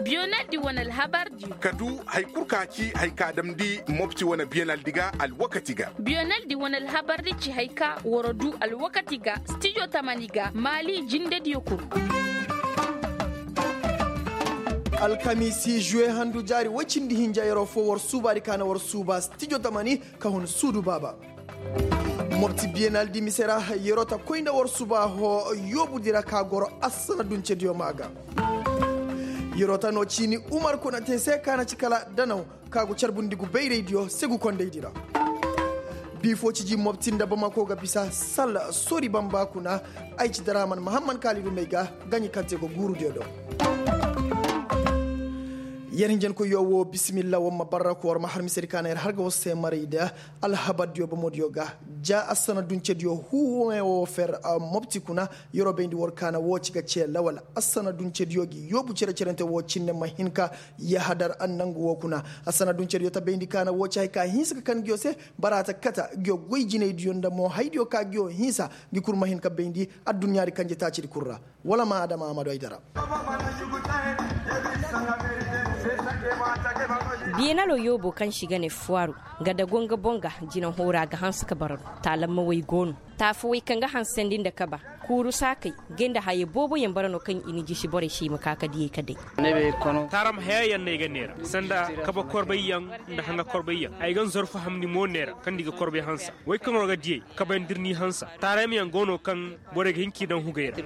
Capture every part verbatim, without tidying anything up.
Biyonaldi wane alhabardiyo ka du hari kul ka ci hari ka damndi mopti wane biyonaldi ga alwakati ga. Biyonaldi wane alhabardi ci hari ka war du alwakati ga stijo tamani ga maali jindediyo kul. Alkamiisi žuwe handu jaari woy cindi hinja yeroo foo war suubaadi ka na war suuba stijo tamani ka hun suudu baaba. Mopti biyenal di mise ra, yeroo ta koy nda war suba hoo yoobudi ra ka goro assana duncediyo maa ga. Yeroo ta noo ciini umar kuna te se ka na ci kala danaw ka go carbundi gu bayraydiyo segu kondaydi ra. Bii foo ciji mopti nda bamako ga bisa sal sori bamba kuna. Ay ci daraaman mahamman kaalidu may ga gaɲi kaŋ te go guurudiyo do. Yer hinjankoyyo woo bisimilla war ma barra ko war ma har misedi ka na yer har ga war se maray da. Alhabardiyo bomodiyo ga ja assana duncediyo huuwe woo fer mopti kuna. Yeroo bayndi war ka na woo ci ga cee lawal assana duncediyo gi yoobu cere-cerente woo cinne ma hin ka yahadar nangu woo kuna. Assana duncediyo ta bayndi ka na woo ci hay ka hinsa ka kan nguyo se. Bara ta kata nguyo goy jinaydiyo nda mo haydiyo ka nguyo hinsa. Ngi kul ma hin ka bayndi adduɲɲaadi kanje taacidi kul ra. Wala ma adama amadu haydara. Biyeenaloo yoobo kaŋ se i ga ne fuwaaru, nga dago nga boŋ ga jina hoora ga hanse ka bara no. Taalamma way go no. Taafawey kaŋ ga hansandi nda kaba, kuuru saakey, gay nda hayey booboyaŋ bara no kaŋ i na jisi borey se i ma ka ka diyey ka day. Taaram hayayaŋ no ay ga neera sanda kaba korbayyaŋ, nda haŋa korbayyaŋ ay ga nzorfu hamni mo neera kaŋ nda i ga korbay hansa. Wey kaŋ war ga diyey kabayaŋ da ir n'i hansa. Taaraymayaŋ go no kaŋ borey ga hin k'i daŋ hugey ra.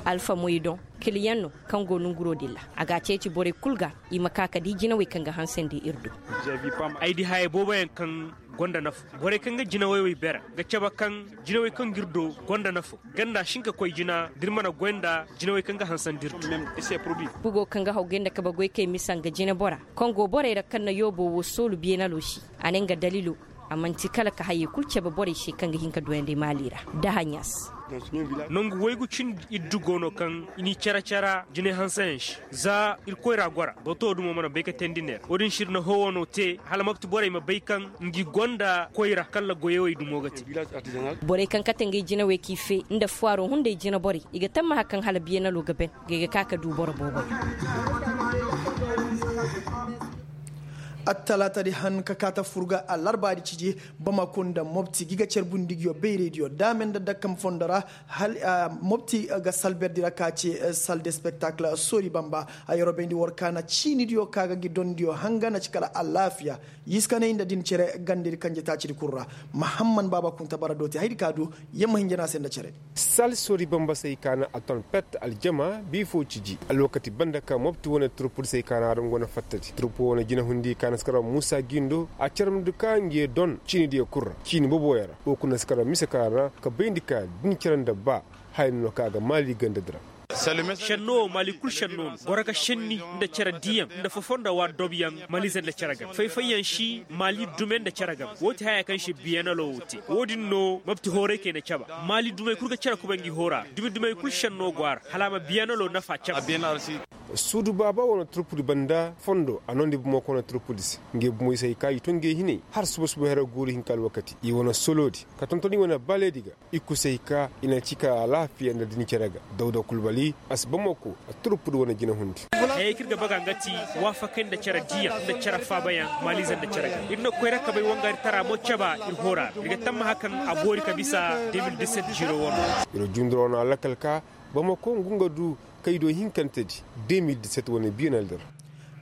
Alfa moydoŋ, kiliyaŋ no kaŋ go nonguroo din ra. A g'a ceeci borey kul ga i ma ka ka di jinawey kaŋ ga hansandi ir do. Ay di hayey booboyaŋ kaŋ gonda nafa. Borey kaŋ ga jinawey wey bera ga cabe kaŋ jinawey kaŋ ga ir do gonda nafa. Ganda si hin ka koy jina da ir mana goy nda jinawey kaŋ ga hansandi ir do. Bugo kaŋ ga haw gay nda kabe goykey misa nga jinebora kaŋ go borey ra kaŋ na yoobo woo soolu beenaloo se. A ne nga daliiloo a man'ti kala ka hayey kul cabe borey se kaŋ ga hin ka duyandi maali ra. Dahaɲas. Nangu waygu cindi iddu go no kaŋ i n'i care-care jinay hanseyaŋ se. Za ir koyra gora bato dumo mana bay ka teendi neera wo-din se ir na hoowanoo te hala mopti borey ma bay kaŋ ngi gonda koyra kala goyawey dumo ga te. Borey kaŋ kate ngey jinawey k'i fee nda fuwaaroo hunday jinaborey i ga tammaha kaŋ hala biyanaloo ga ben. Ngey ga ka ka du boro booboyaŋ. Attalaatadi han ka kaa ta fur ga alarbaadi ciji. Bamako nda mopti gi ga carbundi nguyo bayraydiyo daame nda dakkam fondo ra. Mopti ga salberdi ra ka ci sal de spektakil soori bamba. A yeroo bayndi war kaana ciinidiyo ka ga ngi dondiyo hanga na ci kala alaafiya. Yiskaney nda din cere gandedi kanje taacidi kul ra. Mahamman baaba kunta bara dooti haydi ka du. Yamma hinja no a se nda cere. Sal soori bambasey ka na alton pet aljama bii foo ciji alwakati banda ka mopti wane turpudisey ka na adama go na fattadi turpu wane jinahundi ka na si karaw muusa gindo a carmdi ka ngi ye don ciinidiyo kul ra ciini boboyaŋ ra. Wo kuna si karaw mise ka na ka bayndi ka din cere nda ba haya no ka a ga maali gandadi ra. Šenno wo maali kul šenno no goro ga šenni nda cere diyaŋ nda fofonda waa dobyaŋ maaliize nda cere game fay-fayyaŋ si maali dume nda cere game. Woo ti haya kaŋ se biyanaloo wo te wo-din no mopti hooraykey na caba. Maali dumey kul ga cere kubay ngi hoora dumi-dumey kul šenno go a ra hala a ma biyanaloo nafa caba. Suudu baaba wane turpudi banda fondo a noondi bumo ka wane turpudi se. Ngey bumo i se hay ka i to ngey hinay har suba-suba here guuru hinka alwakati i wane soloodi ka tonton i wane baleedi ga. I kusa hay ka i na ci ka alaafiya nda din cere ga. Dawda kulbali a si bamako a turpudi wane jinahundi. Hayey kaŋ ir ga baga nga ti waafakay nda cere diyaŋ nda cere faabayaŋ maaliize nda cere ga ir na koy ra kabay wangaari tara mo caba ir hoora ra ir ga tammaha kaŋ a boori ka bisa. De mil diset ziro wano. Ir jundura wano alakal ka bamako ngu nga du kay do hinkantedi. De mil diset wane biyanal dir.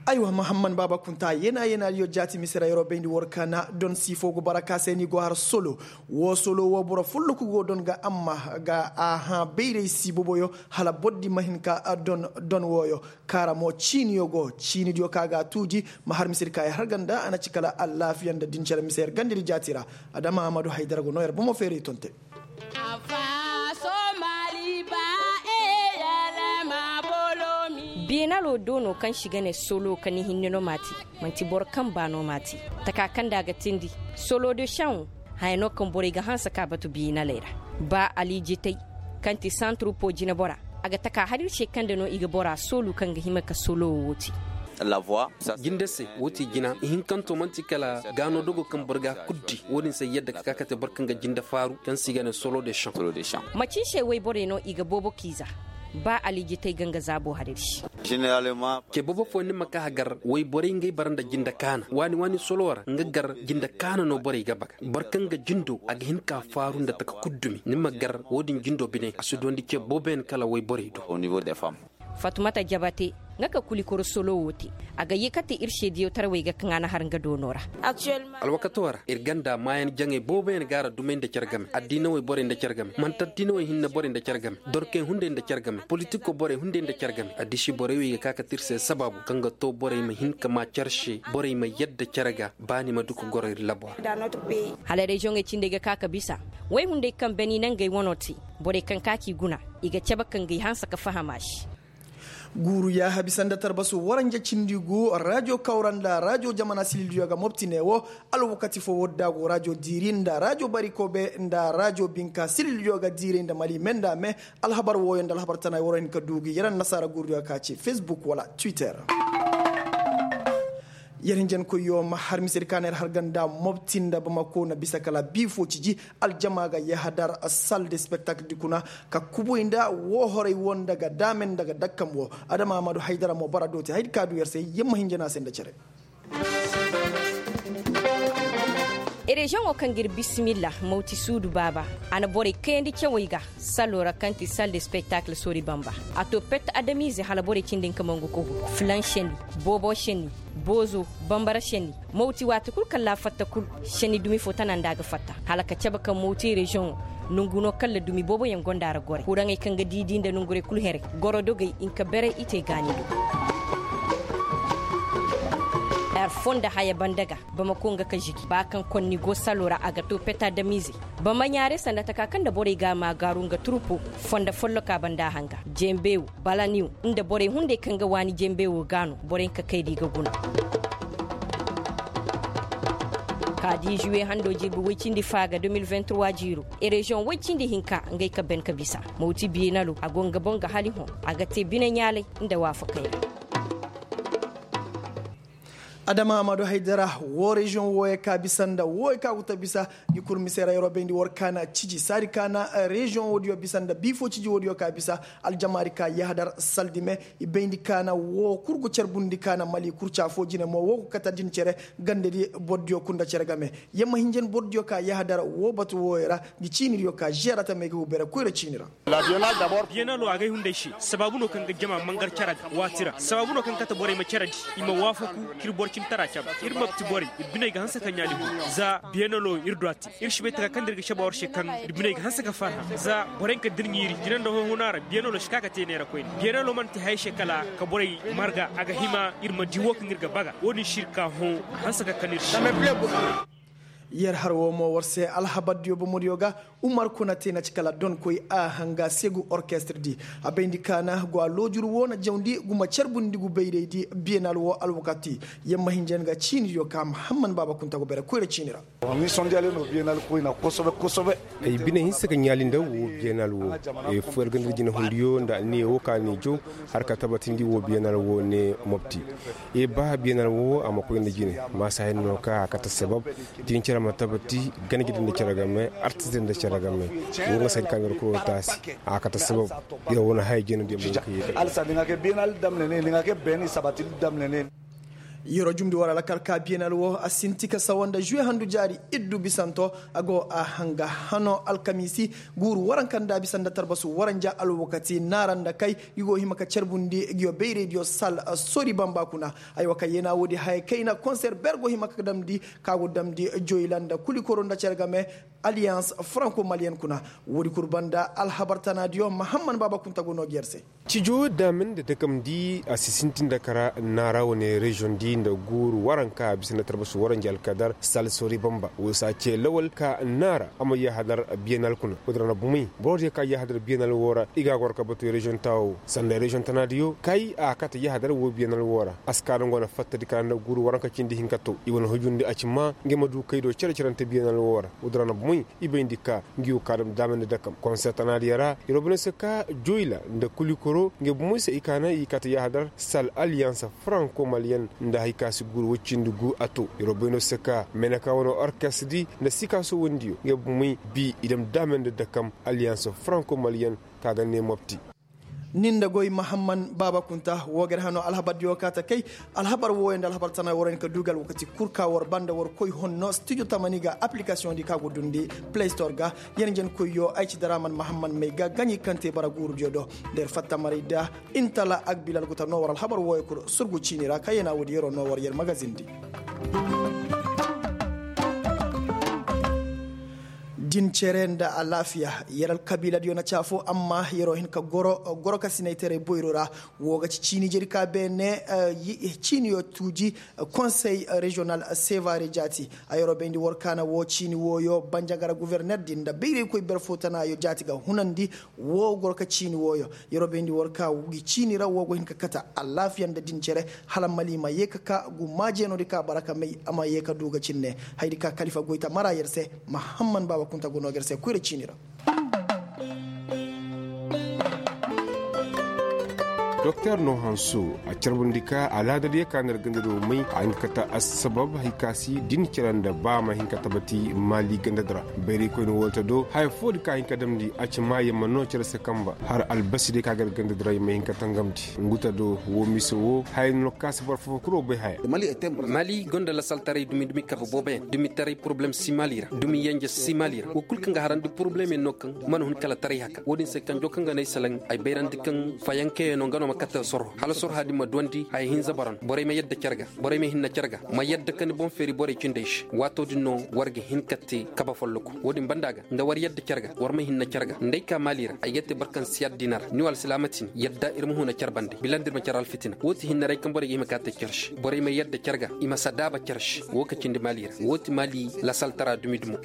Aywa mahamman baaba kunta yeena-yeenadiyo jaati mise ra yeroo bayndi war kaana don siifoo go bara ka se ni go har solo. Woo solo woo boro folloku go don ga amma ga a hã bayray si boboyo hala bordi ma hin ka don don wooyo. Kaara mo ciiniyo go ciinidiyo ka ga a tuuji. Ma har misedi ka ay har ganda a na ci kala allaafiya nda din cere mise yer gandedi jaati ra. Adama ahmadu haydara go noo yer bomo feeray tonte. Beenaloo do no kaŋ si ga ne solo ka ni hinne no m'a te. Man'ti boro kaŋ baa no m'a te. Taka kaŋ nda a ga tindi solo de saŋo. Haya no kaŋ borey ga hanse ka batu beenaley ra. Ba ali jitay kaŋ ti santurupo jinebora. A ga taka har ir se kaŋ nda no i ga bora soolu kaŋ ga hima ka solo wo te. Jinde se, woo ti jina ihinkanto man'ti kala gaano dogo kaŋ boro ga a kul di. Woo din se yadda ka ka ka te boro kaŋ ga jinde faaru kaŋ se i ga ne solo de shaŋ. Macin se woyborey no i ga boobo k'i za. Ba aliijitey ga nga zaabo hariri. Ce boobo fooyaŋ ni ma ka hagar woyborey ngey bara nda jinde kaana waani waani solo ra nga gar jinde kaana no borey ga baga. Boro kaŋ ga jindo a ga hin ka faaru nda taka kul dumi ni ma gar woo din jindo bine a si duwandi ce booboyaŋ kala woyborey do. Fatumata jabate nga ka kulikoro solo woo te. A ga yee ka te ir seediyo tarawey ga kaŋ a na har nga doono ra. Alwakato ra ir ganda maayan jaŋey booboyaŋ ga a ra dumey nda care game addiinawey borey nda care game manti addiinawey hinne borey nda care game dorkey hunday nda care game politikoo borey hunday nda care game addisi borey wey ga ka kate ir se sabaabu kaŋ ga too borey ma hin ka maa care se borey ma yadda care ga. Ba ni ma du ka goro ir labo ra. Hala reziyoŋey cindey ga ka ka bisa woy hunday kaŋ beni nangey wanoo te. Borey kaŋ ka k'i guna i ga cabe ka ngey hanse ka faham a se. Guuru yaaha bisa nda tarbasu waranja cindi gu rajo kawra nda rajo jamana silildiyo ga mopti ne wo. Alwakati fo woo da go rajo diiri nda rajo barikobe nda rajo binka silildiyo ga diiray nda mali me nda me. Alhabar wooyo nda alhabar tana woo ra hin ka du gi yer annasaara guurudiyo ka ci fesbuk wala twitter. Yer hinjankoyyo ma har misedi ka na yer har ganda mopti nda bamako na bisa kala bii fo ciji. Aljama ga yahadar sal de spektakl di kuna ka kubuy nda woohorey woo nda ga daamen nda ga dakkam woo. Adama amadu haydara mo bara dooti haydi ka du yer se yer ma hinja no a se nda cere. Reziyoŋo kaŋ ga ir bisimilla mawti suudu baaba a na borey kayandi cawey ga. Salo ra kaŋ ti sal de spektakl sori bamba a to pet adamize hala borey cindi nka mangu kogu filan seni boobo seni boozo bambara seni. Mawti waati kul kalla fatta kul seni dumi fo tana nda a ga fatta hala ka cabe kaŋ mawti reziyoŋo. Nongu no kalla dumi booboyaŋ gonda ra gorey kuraŋey kaŋ ga diidi nda nongurey kul herey goro dogey nka berey i te gaani do. Her fo nda haya banda ga bamako nga ka žigi ba kaŋ konni go salo ra a ga to peta damize. Bama ɲaare sanda taka kaŋ nda borey ga a ma gaaru nga turupo fondo folloka banda hanga jembewo balaniw nda borey hunday kaŋ ga waani jembewo ga no borey nka kay da i ga guna. Ka di žuwe hando jirbi woy cindi fa ga deux mille vingt trois jiiro. Reziyoŋ woy cindi hinka ngey ka ben ka bisa mawti biyenalo a go nga boŋ ga hali hõ a ga te bine ɲaalay nda waafakey ra. Adama amadu haydara woo reziyoŋ wooyo ka bisa nda wooyo ka guta bisa. Ngi kurmisey ra yeroo bayndi war kaana ciji saadi kaana reziyoŋ woodiyo bisa nda biifo ciji woodiyo ka bisa. Aljamaari ka yahadar saldi me i bayndi kaana woo kul go carbundi kaana mali kurca foo jine mo woo go kate din cere. Gandedi bordiyo kunda cere game. Yer ma hinja ni bordiyo ka yahadar woo batu wooyo ra. Ngi ciinidiyo ka žeera tamey ga wu bere koyra ciini ra. Biyenalo agay hunday se sabaabu no kaŋ ga jama mangar care ga waati ra sabaabu no kaŋ kate borey ma care di. I ma waafaku k'ir boro cintara cabe ir mabti borey ir biney ga hanse ka ɲaali bu. Za biyenalo ir du a te ir si bay taka kaŋ da ir ga cabe war se kaŋ ir biney ga hanse ka farha za borey ka dirɲiiri jina nda honhuna ra biyenalo si ka ka te neera koyne biyenalo mana te haya se kala ka borey marga a ga hima ir ma di wo kaŋ ir ga baga wo-din si ir ka hõ. Hanse ka kan ir se. Yer har woo mo war se alhabardiyo bomodiyo ga. Umar kuna te na ci kala donkoy a hanga segu orkestir di a bayndi kaana go a loojur woo na jawndi guma carbundi gu bayray di biyenal woo alwakati. Yer ma hinja ni ga ciinidiyo ka mahamman baaba kunta go bere koyra ciini ra. Ay bine hinse ka ɲaali nda woo biyenal woo. Foo yar ga nda jine hundiyo nda anniya woo ka ni jaw har ka tabatindi woo biyenal woo ne mopti. Ee ba biyenal woo a ma koy nda jine. Maasa hinne no ka a kate sabab din cere ma tabati. Ganji din nda cere game artis din nda cere game. Woo nga sadi ka nga rokoro taasi. A kate sabab. Yer wane haya jine din mo ka yee. Yeroo jumndi war alkal ka biyenal woo a sinti ka sawa nda žuwe handu jaari iddu bisanto. A go a hanga hano alkamiisi guuru waranka nda bisa nda tarbasu waranja alwakati naara nda kay. Ngi go hima ka carbundi ngiyo bayraydiyo sal sori bamba kuna. Aywa ka yeena woodi haya kayna konser ber go hima ka damndi ka go damndi joyla nda kulikoro nda cere game. Aliyans franko maliyen kuna. Woodi kul banda alhabar tanaadiyo mahamman baaba kunta go noo gi yer se. Cijo daamen nda dakamndi a si sintin nda kara naara wane reziyoŋ di. Nda guuru waranka bisa nda tarbasi waranji alkadar sal sori bamba wo se a ce lawal ka naara a ma yahadar biyanal kuna. Wodin ra na bumey boro diyo ka yahadar biyanal wo ra i ga a goro ka batu reziyoŋ taawo sanda reziyoŋ tanaadiyo kay a kate yahadar wo biyanal wo ra a si ka nda ngo na fattadi ka nda guuru waranka cindi hinka to i wane hujundi a ci ma nga ma du kay do cere-cerante biyanal wo ra. Wodin ra na bumey i bayndi ka ngi wo ka dam daamandi dakam konseer tanaadiyo ra. Yer wo bine se ka joyla nda kulikoro ngi bumey se i kaana i kate yahadar sal alliyansa faranko maliyen nda hari ka si guuru woy cindi gu a to. Yer wo bayndi se ka meneka wane orkes di nda sikaaso wandiyo ngi bumey bi i dam daamandi dakam alliyansa faranko maliyen ka ga ne mopti. Nin nda goy mahamman baaba kunta woo ga ir hano alhabar diyo ka ta kay. Alhabar wooyo nda alhabar tana war hin ka duugal wakati kul ka war banda war koy honno stijo tamani ga aplikasiyoŋ di ka go dundi play store ga. Yer njen koyyo ay ci daraman mahamman may ga gaɲi kaŋ te bara guuru diyo do. Nda yer fatta maray da intala agbilal guta no war alhabar wooyo kul surgu ciini ra kaŋ yer na woodi yeroo no war yer magazin di. Din cere nda alaafiya yer alkabiila diyo na ci afo amma yeroo hin ka goro goro ka sinaytaray boyro ra. Woo ga ci ciini jeri ka beene ciiniyo tuuji konsey reziyonal sevare jaati. A yeroo bayndi war kaana woo ciini wooyo banjagara guverner din nda bayraykoy ber fo tanaayo jaati ga hunandi. Woo goro ka ciini wooyo yeroo bayndi war ka gi ciini ra woo go hin ka kata alaafiya nda din cere hala mali ma yee ka ka gu maajeenoo di ka bara ka may a ma yee ka duu ga cinne. Hayadi ka kalifa goyta mara yer se mahamman baaba kunta go noo ga yer se koyra ciini ra. Doktor no hanso a carbundi ka alaadadiyo ka na ir ganda do may a hin ka kata assabab hari ka si din cere nda ba ma hin ka tabati maali ganda di ra. Bayraykoyni woo ta do haya foo di ka hin ka damndi a ci ma yer ma noo cere se kamba har albasi day ka ga ir ganda di ra yer ma hin ka tangamndi. Ngu ta do woo mise woo haya no ka si boro foo kuro bay haya. Maali gonda lasaltaray dumi dumi kabe booboyaŋ dumi taray poroblem si maali ra dumi yenje si maali ra woo kul kaŋ ga harandi poroblem yaŋ no kaŋ mana hun kala taray haka woo din se kanjo kaŋ ga no ay salaŋ ay bayrandi kaŋ fayankayaŋo nga no ma kate sorho hala sorha din ma duwandi haya hinza bara no borey ma yadda care ga borey ma hinna care ga ma yadda ka ni boŋ feeri borey cindey se waato din no war ga hin ka te kabe folloku woo din banda ga nda war yadda care ga war ma hinna care ga nda ay ka maali ra ay ga te boro kaŋ si yadda i na ra ni wo alsilaama tin yadda ir ma huna care bande bila nda ir ma care alfitina woo ti hinnaray kaŋ borey ga hima ka te care se borey ma yadda care ga i ma sadaaba care se woo ka cindi maali ra woo ti maali lasaltara dumi dumo.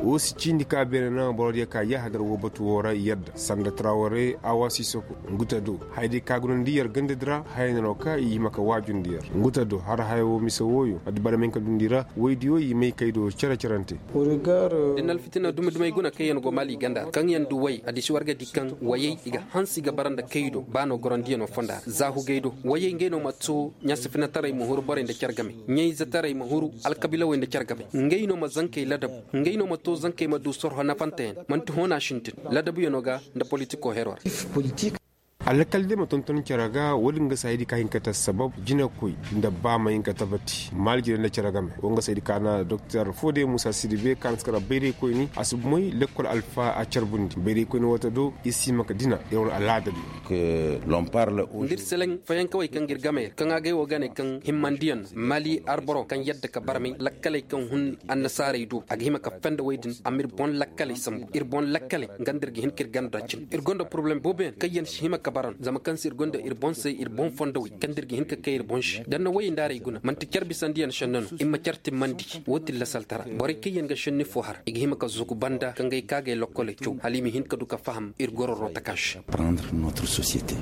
Woo si ciindi ka beene naŋ borodiyo ka yahadar woo batu woo ra yadda sanda traware awa sisoko ngu ta do hayadiyo ka gunandi yer ganda di ra haya no ka i hima ka waajundi yer ngu ta do har haya woo mise wooyo addi barmay ka dundi ra woydiyo i may kay do cere-cerante. Da ni alfitina dumi dumey guna kaŋ yer go maali ganda ra kaŋ yer du way addi si war ga di kaŋ wayey i ga hanse i ga bara nda kay do ba no gorandiyanoo fonda ra zaahugey do wayey ngey no ma too ɲaasifinatarey ma huru borey nda care game ɲayzetaray ma huru alkabiilawey nda care game ngey no ma zankey ladabu ngey no ma too zankey ma du sorho nafanteyaŋ man'ti hoona sintin ladabuyanoo ga nda politikoo heroo ra. Alkaldey ma tonton care ga woo din ga se hayadi ka hin ka te assabab jinekoy nda ba ma hin ka tabati maali jire nda care game woo nga se hayadi ka na doktor foode muusa sidibe ka na si kara bayraykoyni a si moy lekkol alfa a carbundi bayraykoyni woo ta do i si hima ka dina ir wane alaada di. Nda ir seleŋ fayankawey kaŋ ga ir game ra kaŋ agay woo ga ne kaŋ himmandiyaŋ no maali arboro kaŋ yadda ka barmay lakkaley kaŋ hun annasaarey do a ga hima ka fenda wey din amma ir boŋ lakkaley sambu ir boŋ lakkaley nga nda ir ga hin ka ir ganda cin ir gonda poroblem booboyaŋ kaŋ yaŋ si hima ka bara no zama kaŋ se ir gonda ir boŋ se ir boŋ fondowey kaŋ nda ir ga hin ka kay ir boŋ se da ni na woyey nda arey guna man'ti care bisandiyaŋ šenni no ir ma care timmandi woo ti lasaltara borey kaŋ yaŋ ga šenni foo har i ga hima ka zugu banda ka ngey kaagey lokkoley caw hala i ma hin ka du ka faham ir gororo taka se.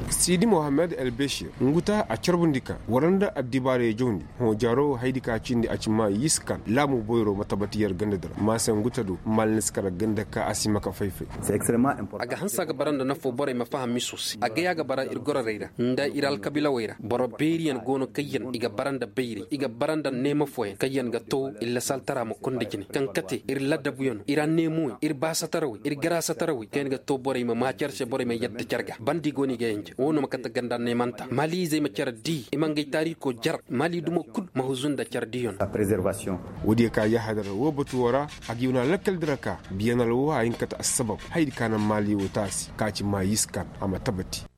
Siidi mohammed elbešir ngu ta a carbundi ka war nda addibaarey jawndi hõ jaaro hayadi ka cindi a ci ma yiskan laamu boyro ma tabati yer ganda di ra maase ngu ta do maali ni si kara ganda ka a si hima ka fay-fay. A ga hanse a ga bara nda nafoo borey ma faham miso se a gay a ga bara ir gororey ra nda ir alkabiilawey ra boro beeriyaŋ go no kaŋ yaŋ i ga bara nda bayray i ga bara nda neema fooyaŋ kaŋ yaŋ ga too ir lasaltara ma konda jine kaŋ kate ir ladabuyaŋo ir anneemoyaŋ ir baasatarawey ir garaasatarawey kaŋ yaŋ ga too borey ma maa care se borey ma yadda care ga bandi go no i ga yanje woo no ma kate ganda neemanta maaliizey ma care dii i ma ngey taariikoo jara maali dumo kul ma huzu nda care diiyaŋo. Woodiyo ka yahadar woo batu woo ra a ga i wane lakkal di ra ka biyanal woo a hin ka te assabab hayadi ka naŋ maali woo taasi ka ci maa yiskan a ma tabati.